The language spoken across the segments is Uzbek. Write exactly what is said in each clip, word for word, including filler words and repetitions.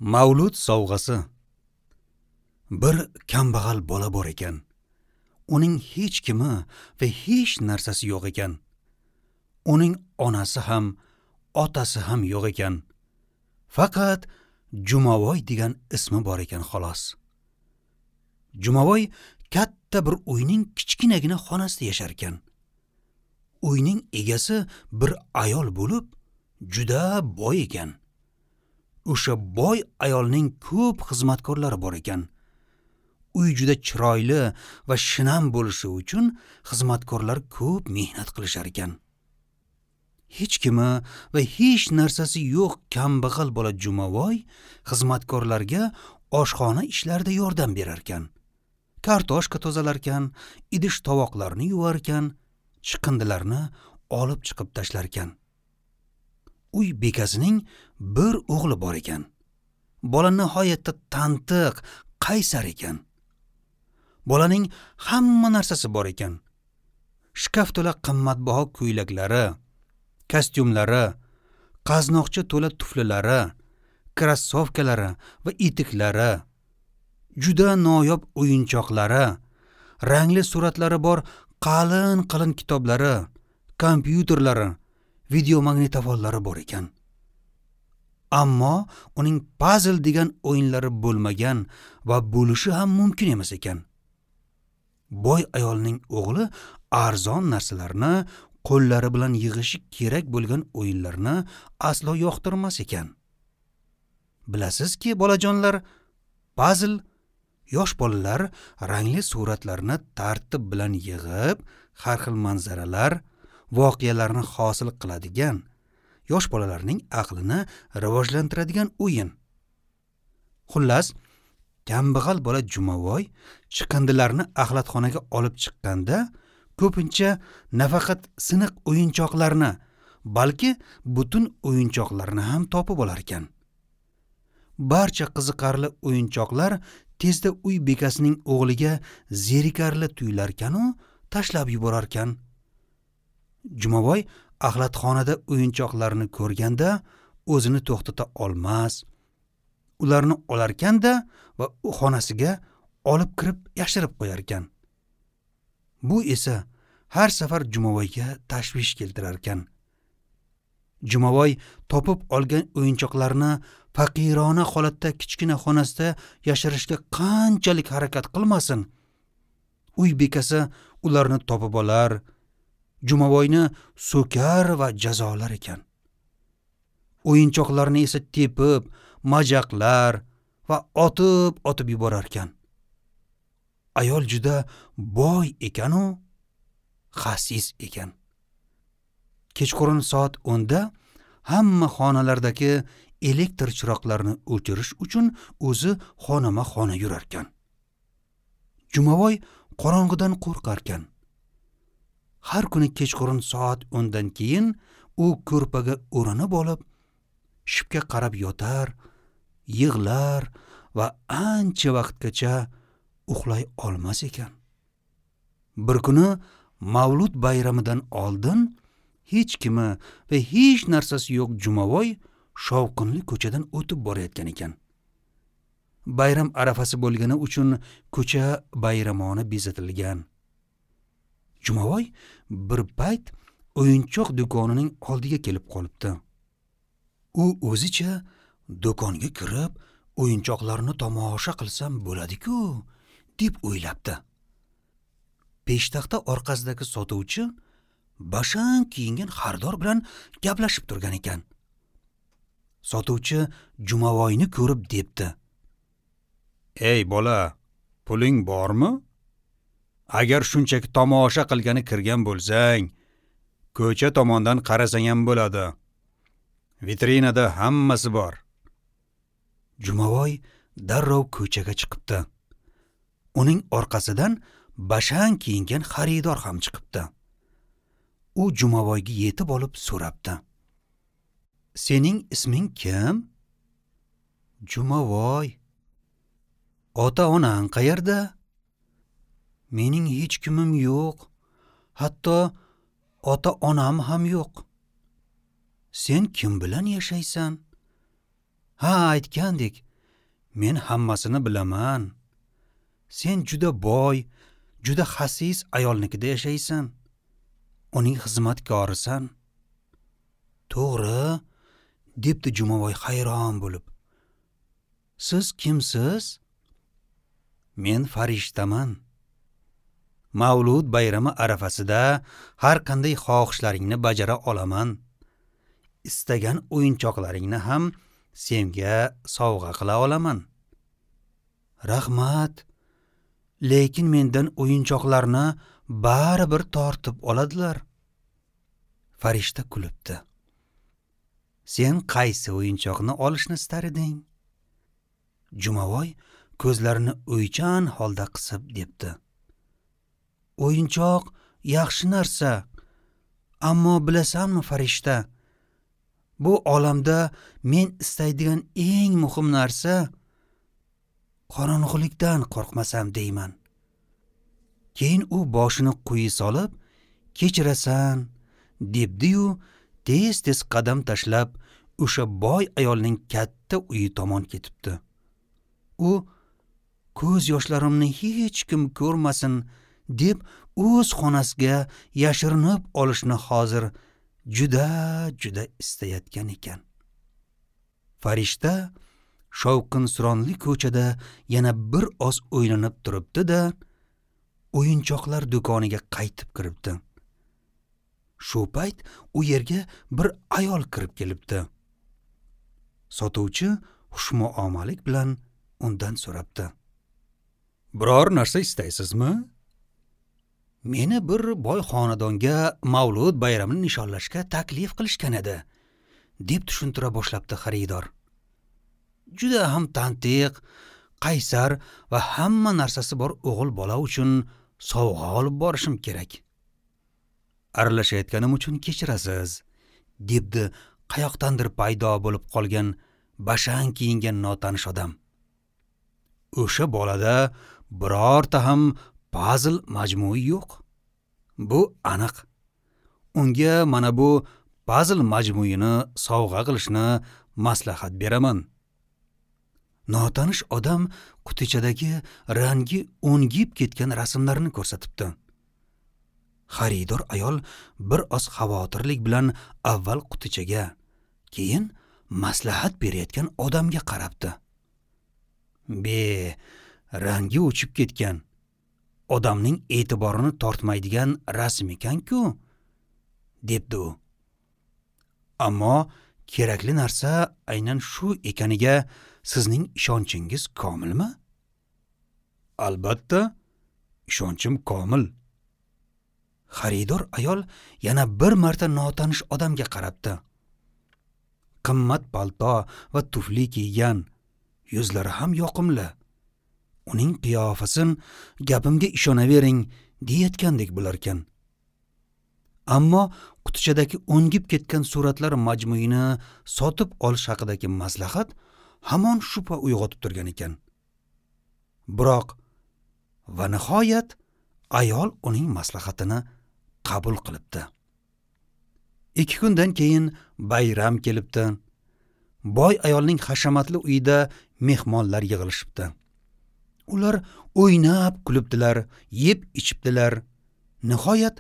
Mavlud sovg'asi. Bir kambag'al bola bor ekan. Uning hech kimi va hech narsasi yo'q ekan. Uning onasi ham, otasi ham yo'q ekan. Faqat Jumavoy degan ismi bor ekan xolos. Jumavoy katta bir uyning kichkinagina xonasida yashar ekan. Uyning egasi bir ayol bo'lib, juda boy ekan. O'sha boy ayolning ko'p xizmatkorlari bor ekan. Uy juda chiroyli va shinam bo'lishi uchun xizmatkorlar ko'p mehnat qilishar ekan. Hech kimi va hech narsasi yo'q kambag'al bola Jumavoy xizmatkorlarga oshxona ishlarida yordam berar ekan. Kartoshka tozalar ekan, idish tovoqlarni yuvar ekan, chiqindilarni olib chiqib tashlar ekan. Uy bekasining bir o'g'li bor ekan. Bola nihoyatda tantiq, qaysar ekan. Bolaning hamma narsasi bor ekan. Shkaf to'la qimmatbaho ko'ylaklari, kostyumlari, qaznoqcha to'la tuflilari, krossovkalari va etiklari, juda noyob o'yinchoqlari, rangli suratlari bor qalin-qalin kitoblari, kompyuterlari, videomagnitofonlari bor ekan. Ammo uning pazl degan o'yinlari bo'lmagan va bo'lishi ham mumkin emas ekan. Boy ayolning o'g'li arzon narsalarni qo'llari bilan yig'ishi kerak bo'lgan o'yinlarni aslo yoqtirmas ekan. Bilasizki, bolajonlar, pazl yosh bolalar rangli suratlarni tartib bilan yig'ib, har xil manzaralar, voqealarni hosil qiladigan, yosh bolalarning aqlini rivojlantiradigan o'yin. Xullas, kambag'al bola Jumavoy chiqindilarni axlatxonaga olib chiqqanda ko'pincha nafaqat siniq o'yinchoqlarni, balki butun o'yinchoqlarni ham topib olar ekan. Barcha qiziqarli o'yinchoqlar tezda uy bekasining o'g'liga zerikarli tuyularkan-u, tashlab yuborar ekan. Jumavoy axlatxonada o'yinchoqlarni ko'rganda o'zini to'xtata olmas, ularni olarkan-da va u xonasiga olib kirib yashirib qo'yar ekan. Bu esa har safar Jumavoyga tashvish keltirar ekan. Jumavoy topib olgan o'yinchoqlarni faqirona holatda kichkina xonasida yashirishga qanchalik harakat qilmasin, uy bekasi ularni topib olar, Jumavoyni so'kar va jazolar ekan. O'yinchoqlarni esa tepib, majaqlar va otib-otib yuborar ekan. Ayol juda boy ekan-u, xasis ekan. Kechqurun soat o'nda hamma xonalardagi elektr chiroqlarini o'chirish uchun o'zi xonama-xona yurar ekan. Jumavoy qorong'idan qo'rqar ekan. Har kuni kechqurun soat o'ndan keyin u ko'rpaga o'ranib olib, shipga qarab yotar, yig'lar va ancha vaqtgacha uxlay olmas ekan. Bir kuni Mavlud bayramidan oldin hech kimi va hech narsasi yo'q Jumavoy shovqinli ko'chadan o'tib borayotgan ekan. Bayram arafasi bo'lgani uchun ko'cha bayramona bezatilgan. Jumavoy bir payt o'yinchoq do'konining oldiga kelib qolibdi. U o'zicha do'konga kirib o'yinchoqlarni tomosha qilsam bo'ladi-ku, deb o'ylabdi. Peshtaxta orqasidagi sotuvchi bashang kiyingan xaridor bilan gaplashib turgan ekan. Sotuvchi Jumavoyni ko'rib debdi: "Ey bola, puling bormi? Agar shunchaki tomosha qilgani kirgan bo'lsang, ko'cha tomondan qarasang ham bo'ladi. Vitrinada hammasi bor." Jumavoy darrov ko'chaga chiqibdi. Uning orqasidan bashang kiyingan xaridor ham chiqibdi. U Jumavoyga yetib olib so'rabdi: "Sening isming kim?" "Jumavoy." "Ota-onang qayerda?" "Mening hech kimim yo'q. Hatto ota-onam ham yo'q." "Sen kim bilan yashaysan?" Ha, aytgandek, men hammasini bilaman. Sen juda boy, juda xasis ayolnikida yashaysan. Uning xizmatkorisan. To'g'ri, debdi Jumavoy hayron bo'lib. Siz kimsiz? Men farishtaman. Mavlud bayrami arafasida har qanday xohishlaringni bajara olaman. Istagan o'yinchoqlaringni ham senga sovg'a qila olaman. Rahmat, lekin mendan o'yinchoqlarni baribir tortib oladilar. Farishta kulibdi. Sen qaysi o'yinchoqni olishni istar eding? Jumavoy ko'zlarini o'ychan holda qisib debdi. O'yinchoq yaxshi narsa, ammo bilasanmi farishta, bu olamda men istaydigan eng muhim narsa qorong'ulikdan qo'rqmasam deyman. Keyin u boshini quyi solib, kechirasan debdi-yu, tez-tez qadam tashlab o'sha boy ayolning katta uyi tomon ketibdi. U ko'z yoshlarimni hech kim ko'rmasin deb o'z xonasiga yashirinib olishni hozir juda juda istayotgan ekan. Farishta shovqin-suronli ko'chada yana bir oz o'ylanib turibdi-da, o'yinchoqlar do'koniga qaytib kiribdi. Shu payt u yerga bir ayol kirib kelibdi. Sotuvchi xushmuomalik bilan undan so'rabdi. Biror narsa istaysizmi? Meni bir boy xonadonga mavlud bayramini nishonlashga taklif qilishgan edi, deb tushuntira boshlabdi xaridor. Juda ham tantiq, qaysar va hamma narsasi bor o'g'il bola uchun sovg'a olib borishim kerak. Aralashayotganim uchun kechirasiz, debdi qayoqdandir paydo bo'lib qolgan bashang kiyingan notanish odam. O'sha bolada birorta ham pazl majmui yo'q. Bu aniq. Unga mana bu pazl majmuini sovg'a qilishni maslahat beraman. Notanish odam qutichadagi rangi o'ngib ketgan rasmlarni ko'rsatibdi. Xaridor ayol bir oz xavotirlik bilan avval qutichaga, keyin maslahat berayotgan odamga qarabdi. Be, rangi o'chib ketgan, odamning e'tiborini tortmaydigan rasm ekan-ku, debdi u. Ammo kerakli narsa aynan shu ekaniga sizning ishonchingiz komilmi? Albatta, ishonchim komil. Xaridor ayol yana bir marta notanish odamga qarabdi. Qimmat palto va tufli kiygan, yuzlari ham yoqimli. Uning qiyofasin gapimga ishonavering deyayotgandek bo'larkan. Ammo qutichadagi o'ngib ketgan suratlar majmuini sotib olish haqidagi maslahat hamon shubha uyg'otib turgan ekan. Biroq va nihoyat ayol uning maslahatini qabul qilibdi. Ikki kundan keyin bayram kelibdi. Boy ayolning hashamatli uyida mehmonlar yig'ilishibdi. Ular o'ynab kulibdilar, yeb ichibdilar. Nihoyat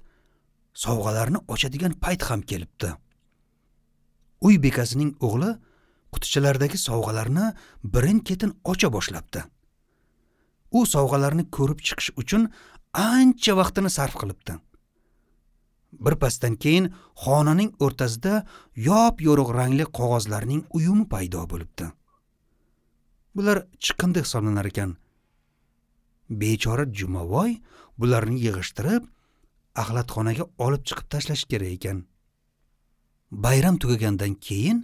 sovg'alarni ochadigan payt ham kelibdi. Uy bekasining o'g'li qutichalardagi sovg'alarni birin-ketin ocha boshlabdi. U sovg'alarni ko'rib chiqish uchun ancha vaqtini sarf qilibdi. Bir pasdan keyin xonaning o'rtasida yop-yorug' rangli qog'ozlarning uyumi paydo bo'libdi. Bular chiqindi hisoblanar ekan. Bechora Jumavoy bularni yig'ishtirib, axlatxonaga olib chiqib tashlash kerak ekan. Bayram tugagandan keyin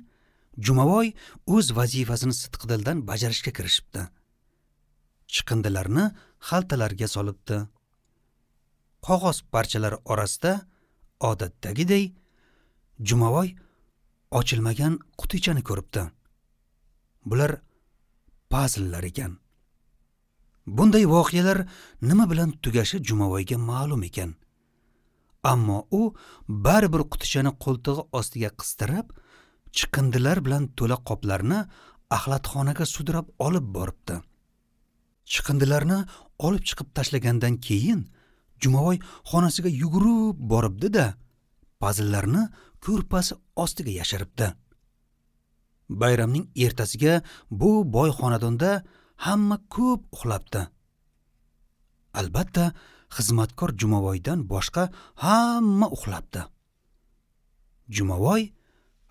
Jumavoy o'z vazifasini sidqidildan bajarishga kirishibdi. Chiqindilarni xaltalarga solibdi. Qog'oz parchalari orasida odatdagidek Jumavoy ochilmagan qutichani ko'ribdi. Bular pazllar ekan. Bunday voqealar nima bilan tugashi Jumavoyga ma'lum ekan. Ammo u baribir qutichani qo'ltig'i ostiga qistirib, chiqindilar bilan to'la qoplarni Axlatxonaga sudrab olib boribdi. Chiqindilarni olib chiqib tashlagandan keyin Jumaboy xonasiga yugurib boribdi-da, pazllarni ko'rpasi ostiga yashiribdi. Bayramning ertasiga bu boy xonadonda hamma ko'p uxlabdi. Albatta, xizmatkor Jumaboydan boshqa hamma uxlabdi. Jumaboy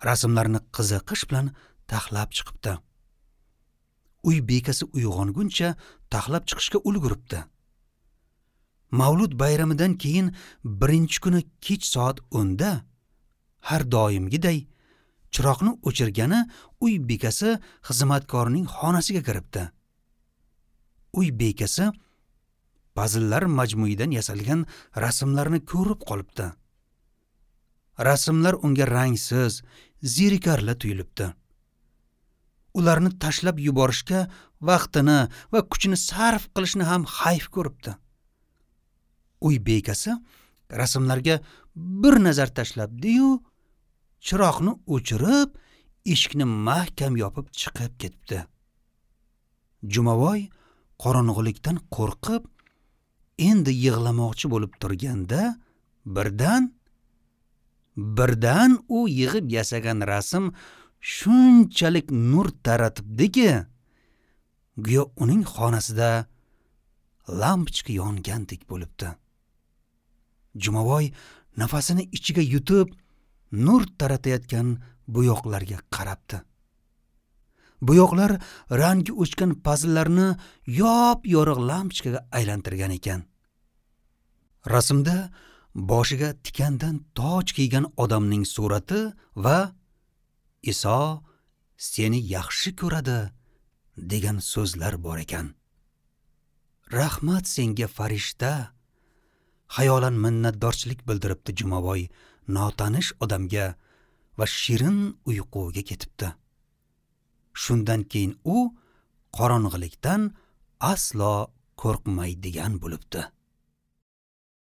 rasmlarni qiziqish bilan taxlab chiqibdi. Uy bekasi uyg'onguncha taxlab chiqishga ulguribdi. Mavlud bayramidan keyin birinchi kuni kech soat o'nda har doimgiday chiroqni o'chirgani uy bekasi xizmatkorning xonasiga kiribdi. Uy bekasi pazllar majmuidan yasalgan rasmlarni ko'rib qolibdi. Rasmlar unga rangsiz, zerikarli tuyulibdi. Ularni tashlab yuborishga vaqtini va kuchini sarf qilishni ham hayf ko'ribdi. Uy bekasi rasmlarga bir nazar tashlabdi-yu, chiroqni o'chirib, eshikni mahkam yopib chiqib ketibdi. Jumaboy qorong'ulikdan qo'rqib, endi yig'lamoqchi bo'lib turganda, birdan birdan u yig'ib yasagan rasm shunchalik nur taratibdiki, go'yo uning xonasida lampochka yongandek bo'libdi. Jumaboy nafasini ichiga yutib, nur taratayotgan bo'yoqlarga qarabdi. Bo'yoqlar rangi o'chgan pazllarni yop-yorug' lampochkaga aylantirgan ekan. Rasmda boshiga tikandan toj kiygan odamning surati va Iso seni yaxshi ko'radi degan so'zlar bor ekan. Rahmat senga farishta, xayolan minnatdorchilik bildiribdi Jumaboy notanish odamga va shirin uyquga ketibdi. Shundan keyin u qorong'ilikdan aslo qo'rqmaydigan bo'libdi.